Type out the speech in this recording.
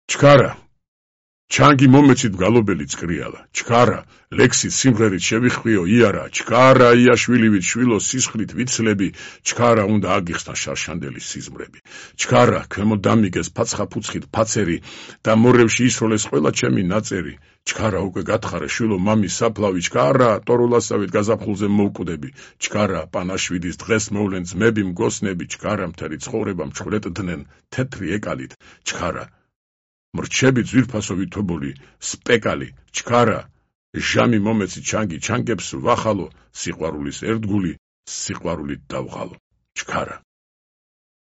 ჩქარა ჩანგი მომეცით გალობელი წკრიალა ჩქარა ლექსით სიმღერით შევიხვიო იარა ჩქარა იაშვილივით შვილო სისხლით ვიცლები ჩქარა უნდა აგიხსნა შარშანდელის სიზმრები ჩქარა ქვემო დამიგეს ფაცხაფუცხით ფაცერი და მორევში ისროლეს ყველა ჩემი ნაწერი ჩქარა უკვე გათხარე შვილო მამის საფლავი ჩქარა ტორულასავით გაზაფხულზე მოვკვდები ჩქარა პანაშვიდის დღეს მოვლენ ძმები მგოსნები ჩქარა მთელი ცხოვრება მჩვრეტდნენ თეთრი ეკალით ჩქარა მრჩები ძვირფასო ვითობოლი სპეკალი ჩქარა ჟამი მომეცი ჩანგი ჩანგებს ვახალო სიყვარულის ერთგული სიყვარულით დავღალო ჩქარა